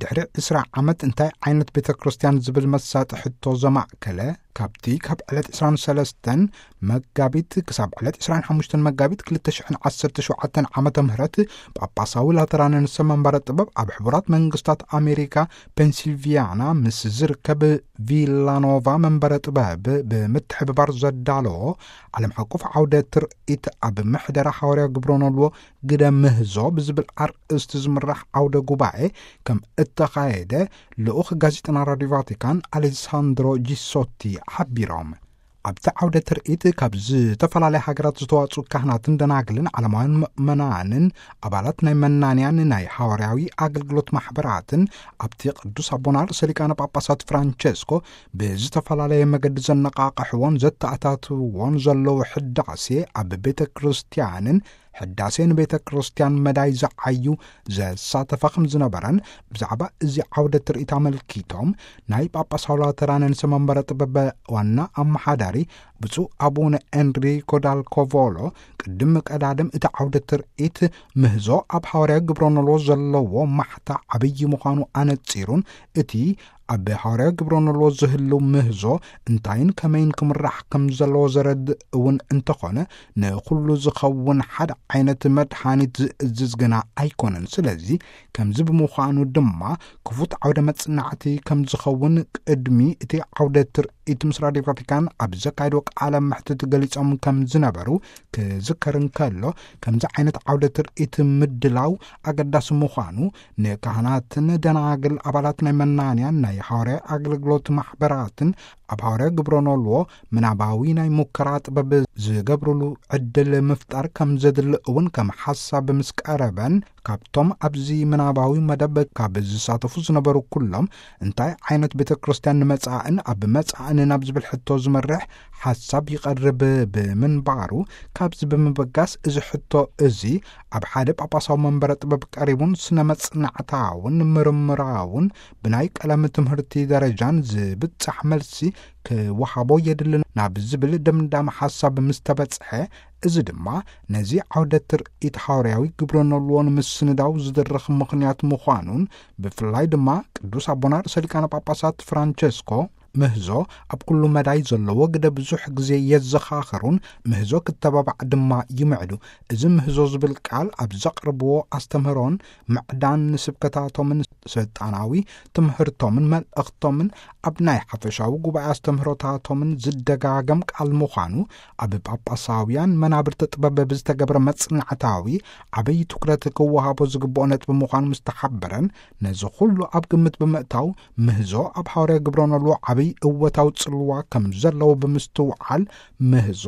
ድሕሪ ዕስራ ዓመት እንታይ ዓይነት ቤተ ክርስቲያን ዝብል መሳጢ ሕቶ ዘማእከለ፣ ካብቲ ካብ ዕለት ዕስራን ሰለስተን መጋቢት ክሳብ ዕለት ዕስራን ሓሙሽተን መጋቢት ክልተ ሽሕን ዓሰርተ ሸውዓተን ዓመተ ምህረት ጳጳሳዊ ላተራንን መንበረ ጥበብ ኣብ ሕቡራት መንግስታት ኣሜሪካ ፔንሲልቪያና ምስ ዝርከብ ቪላኖቫ መንበረ ጥበብ ብምትሕብባር ዘዳለዎ ዓለም ሓቆፍ ዓውደ ትርኢት ኣብ ምሕደራ ሓዋርያ ግብረ ኖልዎ ግደ ምህዞ ብዝብል ኣርእስቲ ዝምራሕ ዓውደ ጉባኤ ከም እተኻየደ ልኡኽ ጋዜጠና ራዲዮ ቫቲካን ኣሌሳንድሮ ጂሶቲ ሓቢሮም። ኣብቲ ዓውደ ትርኢት ካብ ዝተፈላለያ ሃገራት ዝተዋጽኡ ካህናትን ደናግልን ዓለማውያን ምእመናንን ኣባላት ናይ መናንያን ናይ ሓዋርያዊ ኣገልግሎት ማሕበራትን ኣብቲ ቅዱስ ኣቦና ርእሰ ሊቃነ ጳጳሳት ፍራንቸስኮ ብዝተፈላለየ መገዲ ዘነቃቕሕዎን ዘተኣታትውዎን ዘለዉ ሕዳሴ ኣብ ቤተ ክርስቲያንን ሕዳሴ ንቤተ ክርስቲያን መዳይ ዝዓዩ ዘሳተፈ ከም ዝነበረን ብዛዕባ እዚ ዓውደ ትርኢት ኣመልኪቶም ናይ ጳጳሳዊ ላተራንን መንበረ ጥበብ ዋና ኣመሓዳሪ ብፁዕ ኣቡነ ኤንሪኮ ዳልኮቮሎ ቅድሚ ቀዳድም እቲ ዓውደ ትርኢት ምህዞ ኣብ ሓዋርያዊ ግብረ ኖልዎ ዘለዎ ማሕታ ዓብዪ ምዃኑ ኣነጺሩን እቲ ኣብ ሓዋርያዊ ግብረ ኖልዎ ዝህልው ምህዞ እንታይን ከመይን ክምራሕ ከም ዘለዎ ዘረድእ እውን እንተኾነ ንኹሉ ዝኸውን ሓደ ዓይነት መድሓኒት ዝእዝዝ ግና ኣይኮነን። ስለዚ ከምዚ ብምዃኑ ድማ ክፉት ዓውደ መጽናዕቲ ከም ዝኸውን ቅድሚ እቲ ዓውደ ትርኢት ምስ ራዲዮ ቫቲካን ኣብ ዘካየድዎ ቃለ መሕትት ገሊጾም ከም ዝነበሩ ክዝከር እንከሎ ከምዚ ዓይነት ዓውደ ትርኢት ምድላው ኣገዳሲ ምዃኑ ንካህናትን ደናግል ኣባላት ናይ መናንያን ናይ ሓዋርያ ኣገልግሎት ማሕበራትን ኣብ ሓዋርያ ግብረ ኖልዎ ምናባዊ ናይ ሙከራ ጥበብ ዝገብሩሉ ዕድል ምፍጣር ከም ዘድሊ እውን ከም ሓሳብ ምስ ቀረበን ካብቶም ኣብዚ ምናባዊ መደብ ካብ ዝሳተፉ ዝነበሩ ኩሎም እንታይ ዓይነት ቤተ ክርስቲያን ንመጻእን ኣብ መጻእን ናብ ዝብል ሕቶ ዝመርሕ ሓሳብ ይቐርብ ብምንባሩ ካብዚ ብምብጋስ እዚ ሕቶ እዚ ኣብ ሓደ ጳጳሳዊ መንበረ ጥበብ ቀሪቡን ስነ መጽናዕታውን ምርምራውን ብናይ ቀለም ትምህርቲ ደረጃን ዝብጻሕ መልሲ ክወሃቦ የድልን ናብ ዝብል ድምዳመ ሓሳብ ምስ ተበጽሐ እዚ ድማ ነዚ ዓውደ ትርኢት ሓዋርያዊ ግብረ ኖልዎ ንምስንዳው ዝድርኽ ምኽንያት ምዃኑን ብፍላይ ድማ ቅዱስ ኣቦና ርእሰ ሊቃነ ጳጳሳት ፍራንቸስኮ ምህዞ ኣብ ኩሉ መዳይ ዘለዎ ግደ ብዙሕ ግዜ የዘኻኽሩን ምህዞ ክተባባዕ ድማ ይምዕዱ። እዚ ምህዞ ዝብል ቃል ኣብ ዘቕርብዎ ኣስተምህሮን ምዕዳን ንስብከታቶምን ስልጣናዊ ትምህርቶምን መልእኽቶምን ኣብ ናይ ሓፈሻዊ ጉባኤ ኣስተምህሮታቶምን ዝደጋገም ቃል ምዃኑ ኣብ ጳጳሳውያን መናብርቲ ጥበብ ብዝተገብረ መጽናዕታዊ ዓብዪ ትኩረት ክወሃቦ ዝግብኦ ነጥቢ ምዃኑ ምስ ተሓበረን ነዚ ኩሉ ኣብ ግምት ብምእታው ምህዞ ኣብ ሓዋርያ ግብረ ኖልዎ ዓብዪ እወታዊ ጽልዋ ከም ዘለዎ ብምስትውዓል ምህዞ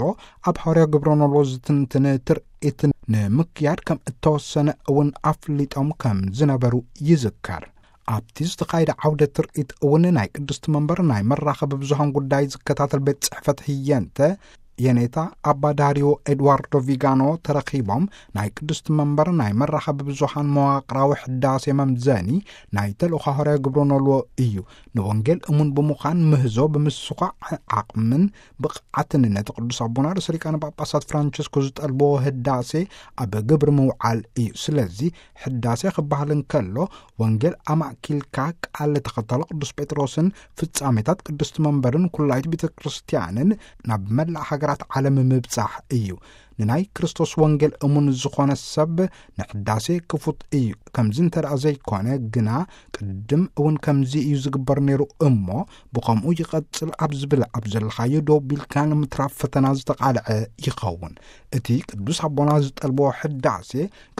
ኣብ ሓዋርያ ግብረ ኖልዎ ዝትንትን ትርኢት ንምክያድ ከም እተወሰነ እውን ኣፍሊጦም ከም ዝነበሩ ይዝከር። ኣብቲ ዝተኻየደ ዓውደ ትርኢት እውን ናይ ቅድስቲ መንበር ናይ መራኸቢ ብዙሃን ጉዳይ ዝከታተል ቤት ጽሕፈት ህየንተ የኔታ ኣባ ዳሪዮ ኤድዋርዶ ቪጋኖ ተረኺቦም ናይ ቅድስቲ መንበር ናይ መራኸቢ ብዙሃን መዋቕራዊ ሕዳሴ መምዘኒ ናይ ተልእኾ ሃዋርያ ግብረ ኖልዎ እዩ። ንወንጌል እሙን ብምዃን ምህዞ ብምስኳዕ ዓቕምን ብቕዓትን ነቲ ቅዱስ ኣቦና ርእሰ ሊቃነ ጳጳሳት ፍራንቸስኮ ዝጠልብዎ ህዳሴ ኣብ ግብሪ ምውዓል እዩ። ስለዚ ሕዳሴ ክበሃል እንከሎ ወንጌል ኣማእኪልካ ቃል ተኸተሎ ቅዱስ ጴጥሮስን ፍጻሜታት ቅድስቲ መንበርን ኩላይት ቤተ ክርስቲያንን ናብ መላእ ሃገራት ዓለም ምብጻሕ እዩ። ንናይ ክርስቶስ ወንጌል እሙን ዝኾነ ሰብ ንሕዳሴ ክፉት እዩ። ከምዚ እንተ ደኣ ዘይኮነ ግና ቅድም እውን ከምዚ እዩ ዝግበር ነይሩ እሞ ብኸምኡ ይቐጽል ኣብ ዝብል ኣብ ዘለኻዮ ደው ቢልካ ንምትራፍ ፈተና ዝተቓልዐ ይኸውን። እቲ ቅዱስ ኣቦና ዝጠልቦ ሕዳሴ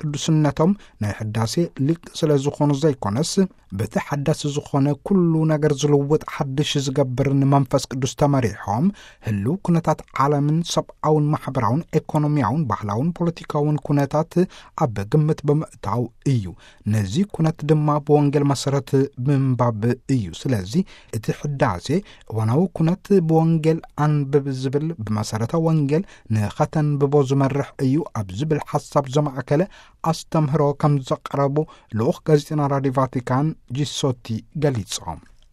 ቅዱስነቶም ናይ ሕዳሴ ሊቅ ስለ ዝኾኑ ዘይኮነስ በቲ ሓዳሲ ዝኾነ ኩሉ ነገር ዝልውጥ ሓድሽ ዝገብርን መንፈስ ቅዱስ ተመሪሖም ህልው ኩነታት ዓለምን ሰብኣውን ማሕበራውን ኤኮኖሚያውን ባህላውን ፖለቲካውን ኩነታት ኣብ ግምት ብምእታው እዩ። ነዚ ኩነት ድማ ብወንጌል መሰረት ምንባብ እዩ። ስለዚ እቲ ሕዳሴ እዋናዊ ኩነት ብወንጌል ኣንብብ ዝብል ብመሰረተ ወንጌል ንኸተንብቦ ዝመርሕ እዩ ኣብ ዝብል ሓሳብ ዘማእከለ ኣስተምህሮ ከም ዘቕረቡ ልኡኽ ጋዜጠና ራዲዮ ቫቲካን ጂሶቲ ገሊጾም።